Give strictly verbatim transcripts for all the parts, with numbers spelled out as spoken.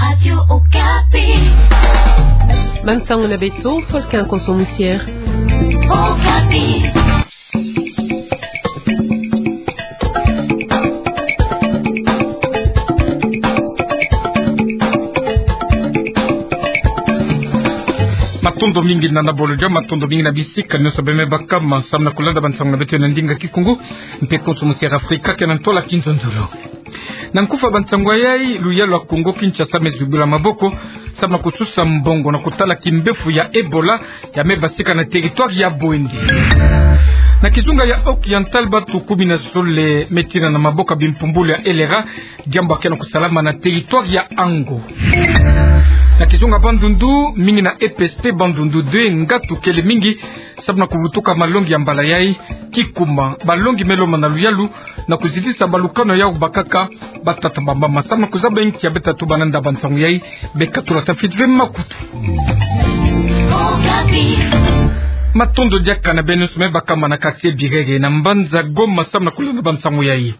Radio Okapi. Bansango na beto, Volcan Konso Musiere. Okapi. Matondo mingi na nabolo dia, matondo mingi na bisika nyonso beno me baka ma samu na kulanda bansango na beto na ndinga Kikongo, mpe Konso Musiere Afrika, ke na ntwala Kinzonzolo. Na nkufa bansango yai, luyalu ya Kongo Kinshasa me zibula maboko samu na kususa mbongo na kutala kimbefu ya Ebola ya me basika na territoire ya Bwindi. Na kizunga ya Haut-Oriental, bantu kumi na zole me tina na maboko ya bimpumbulu ya L R A, diambu ya ke na kusalama na territoire ya Ango. Na kizunga Bandundu, mingi na E P S T Bandundu deux, ngatu kele mingi samu na kuvutuka malongi ya mbala yai. Kikuma, balongi me lomba na luyalu na kuzitisa balukanu yau bakaka, batata, bamama, samu na kuzaba inki ya beta tuba na nda bansango yai. Beka tulata fiti ve makutu. Matondo diaka na beno nyonso me baka ma na quartier Birere na mbanza Goma samu na kulanda bansango yai.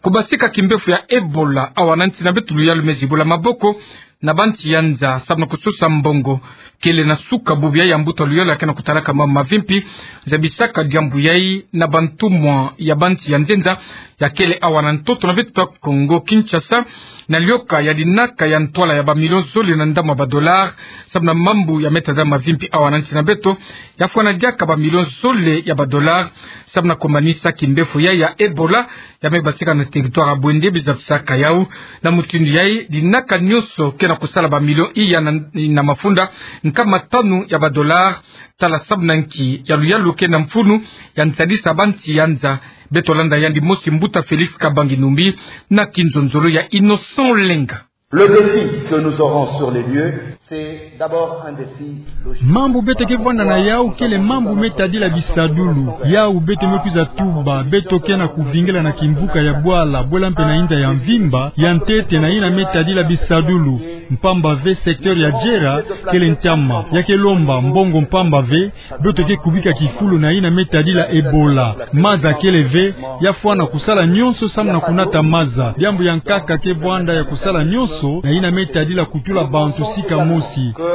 Kubasika kimbefu ya Ebola awa na nsi na beto, luyalu me zibula maboko na bansi ya nza samu na kususa mbongo. Kele na suka bubu yai ya mbuta luyalu ya ke na kutalaka mambu mavimpi zabisaka diambu yai na bantumwa ya bansi ya nzenza ya kele awa na ntoto na beto Kongo Kinshasa, na lioka ya dinaka ya ntwala ya bamilio zole na ndambu ya badollar samu na mambu ya me tadila mavimpi awa na nsi na beto, ya fwana diaka bamilio zole ya badollar samu na kumanisa kimbefu yai ya Ebola ya me basika na territoire ya Bwindi. Biza bisaka yau na mutindu yai, dinaka nyonso ke na kusala bamilio iya na, na mafunda nkama tanu ya badollar, tala samu na nki ya luyalu ke na mfunu ya nsadisa bansi ya nza. Beto landa yandi mosi mbuta Félix Kabangi Numbi na kinzonzolo ya Innocent Lenga. Le défi que nous aurons sur les lieux, c'est d'abord un défi logistique. Mambu beto ke vwanda na yau kele mambu me tadila bisadulu. Yau beto me kwiza tuba, beto ke na kuvingila na kimvuka ya bwala, bwela mpe na inza ya mvimba, ya ntete na yina me tadila bisadulu. Mpamba ve secteur ya Djera kele ntama, ya ke lomba mbongo mpamba ve, beto ke kubika kifulu na yina me tadila Ebola. Maza kele ve, ya fwana kusala nyonso samu na kunata maza. Diambu ya nkaka ke vwanda ya kusala nyonso na yina me tadila kutula bantu sika mosi.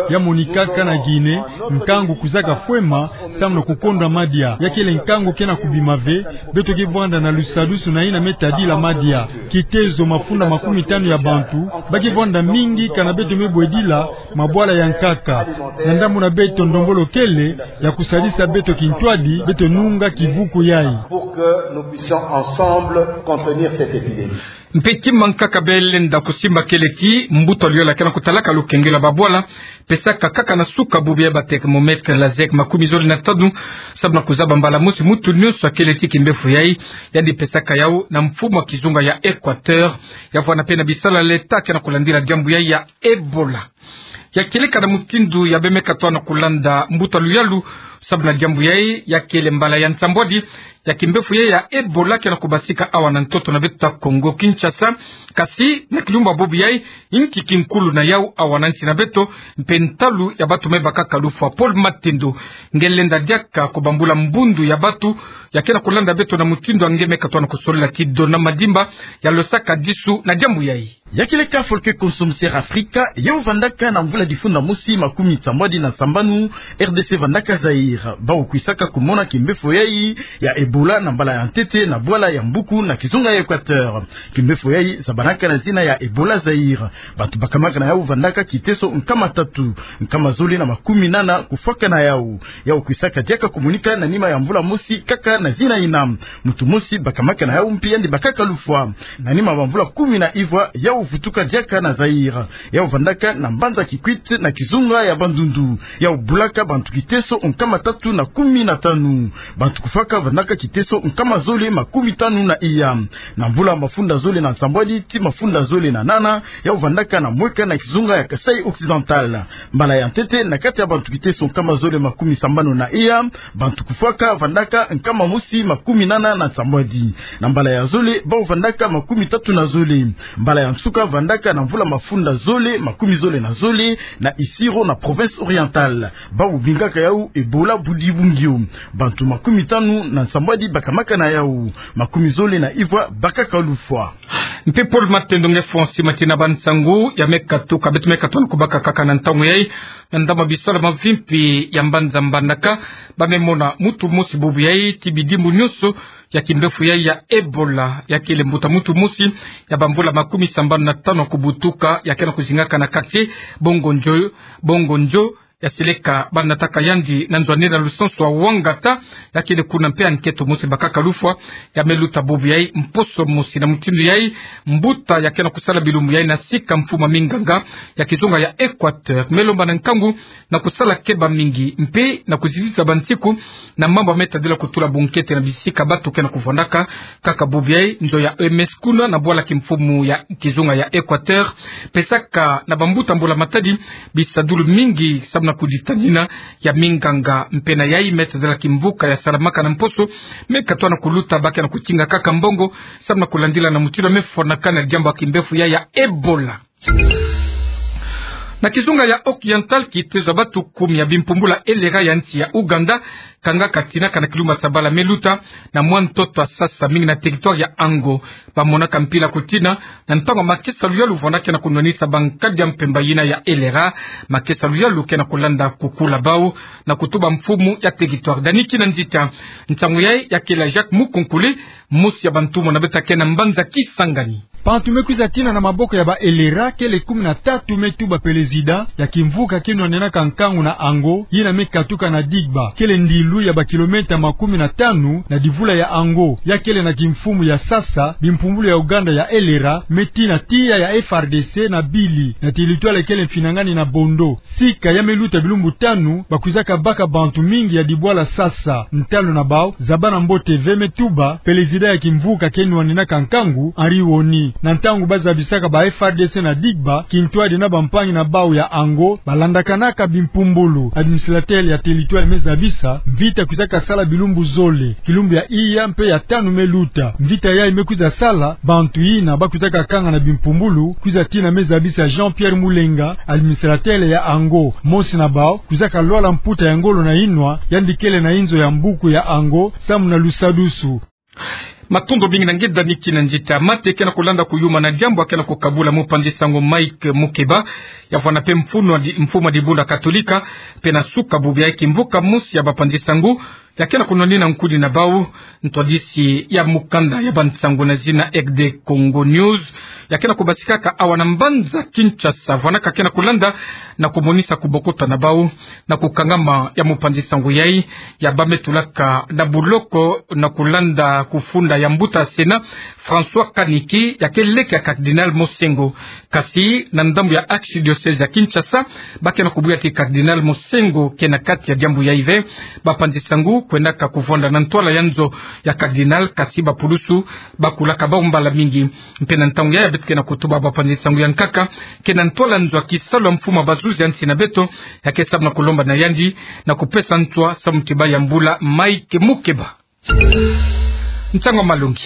Ya monikaka na Guinée, nkangu kwizaka fwema samu na kukonda madia. Ya kele nkangu ke na kubima ve, beto ke vwanda na lusadusu na yina me tadila madia. Kitezo mafunda makumi tanu ya bantu ba ke vwanda mingi kana beto me bwedila mabwala ya nkaka. Na ndambu na beto ndombolo kele ya kusadisa beto kintwadi, beto nunga kivuku yai. Pour que nous puissions ensemble contenir cette épidémie. Mpe kima nkaka bele nda kusimba kele ti mbuta luyalu ya ke na kutalaka lukengelo ya babwala pesaka kaka na suka bubu ya bathermomètre laser makumi zole na tanu, samu na kuzaba mbala mosi muntu nyonso ya kele ti kimbefu yai. Yandi pesaka yau na mfumu ya kizunga ya Équateur, ya vwanda mpe na bisala leta ke na kulandila diambu yai ya Ebola. Ya kieleka na mutindu ya beno me katuka na kulanda mbuta luyalu samu na diambu yai, ya kele mbala ya nsambwadi ya kimbefu yai ya Ebola ke na kubasika awa na ntoto na beto Kongo Kinshasa. Kasi na kilumbu bubu yai, inki kinkulu na yau awa na nsi na beto, mpe ntalu ya bantu me bakaka lufwa? Paul Matendo, nge lenda diaka kubambula mbundu ya bantu ya ke na kulanda beto na mutindu ya nge me katuka na kusolila ti Dona Madimba, ya losaka disu na diambu yai. Ya kieleka Volcan Konso Musiere Afrika, yau vandaka na mvula difunda mosi makumi nsambwadi na nsambanu, R D C vandaka Zaïre. Bau kwisaka kumona kimbefu yai ya Ebola na mbala ya ntete na bwala ya Mbuku na kizunga ya Équateur. Kimbefu yai zabanaka na zina ya Ebola Zaïre. Bantu bakamaka na yau vandaka kiteso nkama tatu, nkama zole na makumi nana kufwaka na yau. Yau kwisaka diaka kumonika na nima ya mvula mosi kaka na zina yina. Muntu mosi bakamaka na yau mpe yandi bakaka lufwa. Na nima bamvula kumi na ivwa, yau vutuka diaka na Zaïre. Yau vandaka na mbanza Kikwit na kizunga ya Bandundu. Yau bulaka bantu kiteso nkama tatu na kumi na tanu. Bantu kufwaka vandaka kiteso nkama zole makumi tanu na iya. Na mvula mafunda zole na nsambwadi ti mafunda zole na nana, yau vandaka na Mweka na kizunga ya Kasaï Occidental. Mbala ya ntete, na kati ya bantu kiteso nkama zole makumi sambanu na iya, bantu kufwaka vandaka nkama mosi makumi nana na nsambwadi. Na mbala ya zole, bau vandaka makumi tatu na zole. Mbala ya nsuka vandaka na mvula mafunda zole makumi zole na zole na Isiro na province orientale. Bau bingaka yau Ebola. Budi Bungio. Bantu makumi tanu na nsambwadi bakamaka na yawu, makumi zole na ivwa bakaka lufwa. Mpe Paul Matendo nge Fonsi matina ba nsangu ya me katuka, beto me katona kubaka kaka na ntangu yayi, na ndama bisalu mavimpi ya mbanza Mbandaka, ba me mona muntu mosi bubu yayi ti bidimbu nyonso ya kimbefu yayi ya Ebola, ya kele mbuta muntu mosi ya bamvula makumi sambanu na tanu kubutuka, ya ke na kuzingaka na quartier Bongo Njo, Bongo Njo, ya seleka ba nataka yandi na nzwanina lusansu wa Wangata, ya kele kuna mpe ankento mosi bakaka lufwa, ya me luta bubu yayi mposo mosi. Na mutindu yayi, mbuta ya ke na kusala bilumbu yayi na sika mfumu a minganga ya kizunga ya Equateur me lomba na nkangu na kusala keba mingi mpe na kuziziza bansiku na mambu me tadila kutula bunkete na bisika bantu ke na kuvwandaka. Kaka bubu yayi, nzo ya O M S kuna na bwala kimfumu ya kizunga ya Equateur pesaka na bambuta mbula matadi bisadulu mingi samu na kuditanina ya minganga. Mpe na yayi me tadila kimvuka ya salamaka na mposo, me katona kuluta ba ke na kutinga kaka mbongo samu na kulandila na mutindu me fwanakana diambu ya kimbefu yayi ya Ebola. Na kizunga ya Occidental, kitezo ya bantu kumi ya bimpumbulu ya elera ya nsi ya Ouganda kangaka tina kana kilumbu ya sabala me luta na mwa ntoto ya sasa mingi na territoire ya Ango. Ba monaka mpila kutina na ntangu makesa luyalu vwandaka na kunwanisa bankadi ya mpemba yina ya elera. Makesa luyalu ke na kulanda kukula bawu na kutuba mfumu ya territoire. Dani Kinanzita. Nsangu yayi ya kela Jacques Mukonkole, mosi ya bantumwa na beto ke na mbanza Kisangani. Bantu me kwiza tina na maboko ya ba elera kele kumi na tatu, me tuba pelezida ya kimvuka ke nwanenaka nkangu na Ango, yina me katuka na Digba, kele ndilu ya ba kilomètre makumi na tanu na divula ya Ango. Ya kele na kimfumu ya sasa bimpumbulu ya Ouganda ya elera me tina tiya ya F R D C na Bili, na territoire kele mfinangani na Bondo. Sika ya me luta bilumbu tanu, ba kwizaka baka bantu mingi ya dibwala sasa. Ntalu na bawu, Zabana Mbote ve me tuba pelezida ya kimvuka ke nwanenaka nkangu, Henri Woni. Na ntangu ba zabisaka ba F R D C na Digba, kintwadi na bampangi na bawu ya Ango ba landakanaka bimpumbulu. Administrateur ya territoire me zabisa, mvita kwizaka sala bilumbu zole, kilumbu ya iya mpe ya tanu me luta. Mvita yayi me kwiza sala, bantu yina ba kwizaka kanga na bimpumbulu kwiza tina, me zabisa Jean-Pierre Mulenga, administrateur ya Ango. Mosi na bawu kwizaka lwala mputa ya ngolo na yinwa, yandi kele na inzo ya mbuku ya Ango samu na lusadusu. Matondo mingi na nge Dani Kinanzita. Mate ke na kulanda kuyuma na diambu ya ke na kukabula mupanzi sango Mike Mukeba, ya vwanda mpe mfumu a di-, mfumu a dibundu Katolika, mpe na suka bubu yayi kimvuka mosi ya bapanzi sango ya ke na kunwanina nkuni na bawu, ntwadisi ya mukanda ya bansango na zina R D Congo News, ya ke na kubasikaka awa na mbanza Kinshasa, vwanda ka ke na kulanda na kumonisa kubokota na bawu na kukangama ya mupanzi sango yayi, ya ba me tulaka na buloko na kulanda kufunda ya mbuta Sénat François Kaniki, ya ke leke ya Cardinal Monsengwo. Kasi na ndambu ya archidiocèse ya Kinshasa, ba ke na kubuya ti Cardinal Monsengwo ke na kati ya diambu yayi ve. Bapanzi sango kwendaka kuvwanda na ntwala ya nzo ya Cardinal, kasi bapulusu bakulaka bawu mbala mingi. Mpe na ntangu yayi ya beto ke na kutuba bapanzi sango ya nkaka ke na ntwala nzo ya kisalu ya mfumu a bazuzi ya nsi na beto, ya ke samu na kulomba na yandi na kupesa ntwa samu ti ba yambula Mike Mukeba. Nsangu ya malongi.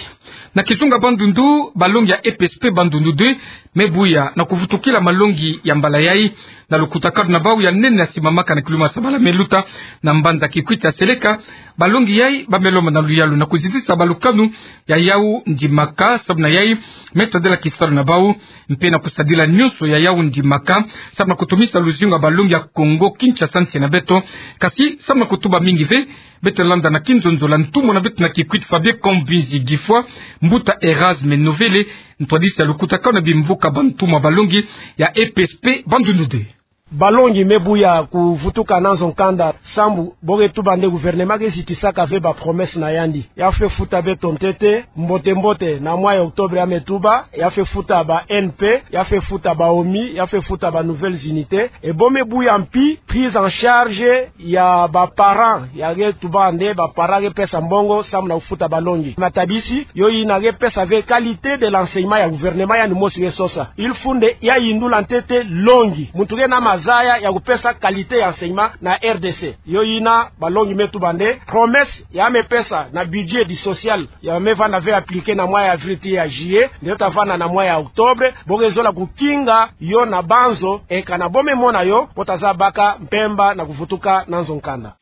Na kizunga Bandundu, balongi ya E P S P Bandundu deux me buya na kuvutukila malongi ya mbala yayi na lukutakanu na bawu ya nene ya simamaka na kilumbu ya sabala me luta na mbanza Kikwit ya seleka. Balongi yayi ba me lomba na luyalu na kuzitisa balukanu ya yawu ndimaka, samu na yayi me tadila kisalu na bawu, mpe na kusadila nyonso ya yawu ndimaka samu na kutumisa luzingu ya balongi ya Kongo Kinshasa, nsi na beto, kasi samu na kutuba mingi ve, beto landa na kinzonzolo ntumwa na beto na Kikwit Fabien Kamvizi Gifwa, mbuta Erasme Novele, ntwadisi ya lukutakanu na bimvuka bantumwa balongi ya E P S P Bandundu deux. Balongi me buya kuvutuka na nzo nkanda, sambu bo ke tuba nde gouvernement ke zitisaka ve ba promesse na yandi. Ya fwe futa beto ntete, mbote mbote, na mois ya octobre ya me tuba, ya fwe futa ba N P, ya fwe futa ba OMI, ya fwe futa ba nouvelles unités. E bo me buya mpi prise en charge ya ba parents, ya ke tuba nde ba parents ke pesa mbongo samu na kufuta balongi. Matabisi, yo yina ke pesa ve qualité de l'enseignement ya gouvernement, yandi mosi ke sosa. Il faut nde ya yindula ntete longi. Muntu ke na ma zaya ya kupesa qualité ya enseignement na R D C. Yo yina balongi me tuba nde promesse ya me pesa na budget du social ya me vanda ve appliquer na mois ya avril tii ya juillet, nde yo ta vanda na mois ya octobre, bo ke zola kukinga yo na banzo, e kana bo me mona yo, bo ta zaba ka mpemba na kuvutuka na nzo nkanda.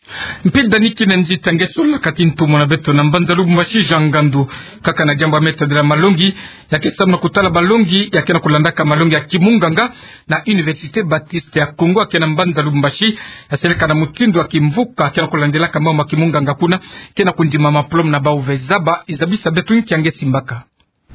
Mpe dani kina nzita nge solaka ti ntomo na beto na mbanza Lubumbashi, Jean Ngandu. Kaka na diambu ya me tadila malongi, ya ke samu na kutala balongi ya ke na kulandaka malongi ya kimunganga na Université Baptiste ya Congo ya ke na mbanza Lubumbashi, ya seleka na mutindu ya kimvuka ya ke na kulandilaka mambu ma kimunganga kuna, ke na kundima maplome na bau ve zaba, e zabisa beto nki ya nge simbaka.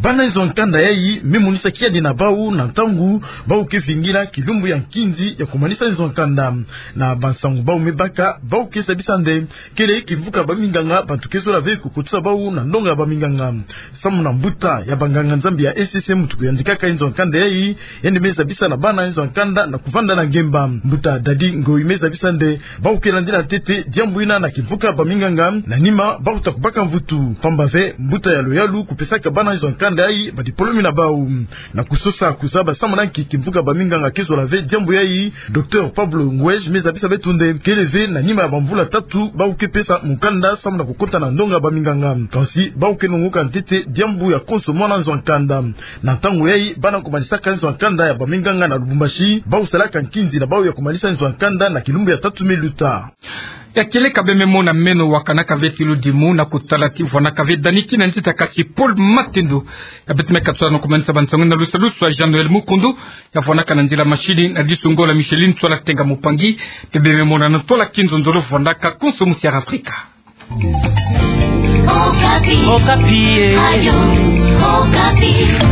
Bana nzo ya nkanda yayi me monisa kiadi na bau na ntangu bau ke vingila kilumbu ya nkinzi ya kumanisa nzo ya nkanda. Na bansangu bau me baka, bau ke zabisa nde kele kimvuka baminganga, bantu ke zola ve kukotisa bau na ndonga ya baminganga. Samu na mbuta ya banganga-Nzambi ya E C C, muntu kuyandikaka nzo ya nkanda yayi, yandi me zabisa na bana nzo ya nkanda na kuvanda na ngemba. Mbuta Dadi Ngoyi me zabisa nde bau ke landila ntete diambu yina na kimvuka baminganga, na nima bau ta kubaka mvutu. Pamba ve mbuta ya Loyalu kupesaka bana nzo ya nkanda yayi badiplome na bau. Na kusosa kuzaba samu na nki kimvuka baminganga ke zola ve diambu yayi, Docteur Pablo Ngwej me zabisa beto nde kele ve na nima ya bamvula tatu bau ke pesa mukanda samu na kukota na ndonga ya baminganga. Kansi bau ke nongoka ntete diambu ya konso mwana nzo ya nkanda. Na ntangu yayi, bana kumanisaka nzo ya nkanda ya baminganga na Lubumbashi bau salaka nkinzi na bau ya kumanisa nzo ya nkanda na kilumbu ya tatu me luta. Ya kieleka bê me mona meno wakanaka ve ti ludimu na kutala ti vwanaka ve dani kina nzita, kasi Paul Matendo ya beto me katusa na kumanisa bansangu na lusalusu ya Jean Noël Mukundu, ya vwanaka na nzila mashini na disungola Micheline Tswala Tenga Mupangi, bê me mona na tola kinzonzolo vwanaka konso musi ya Afrika. Okapi. Okapi, eh. Ayo, Okapi.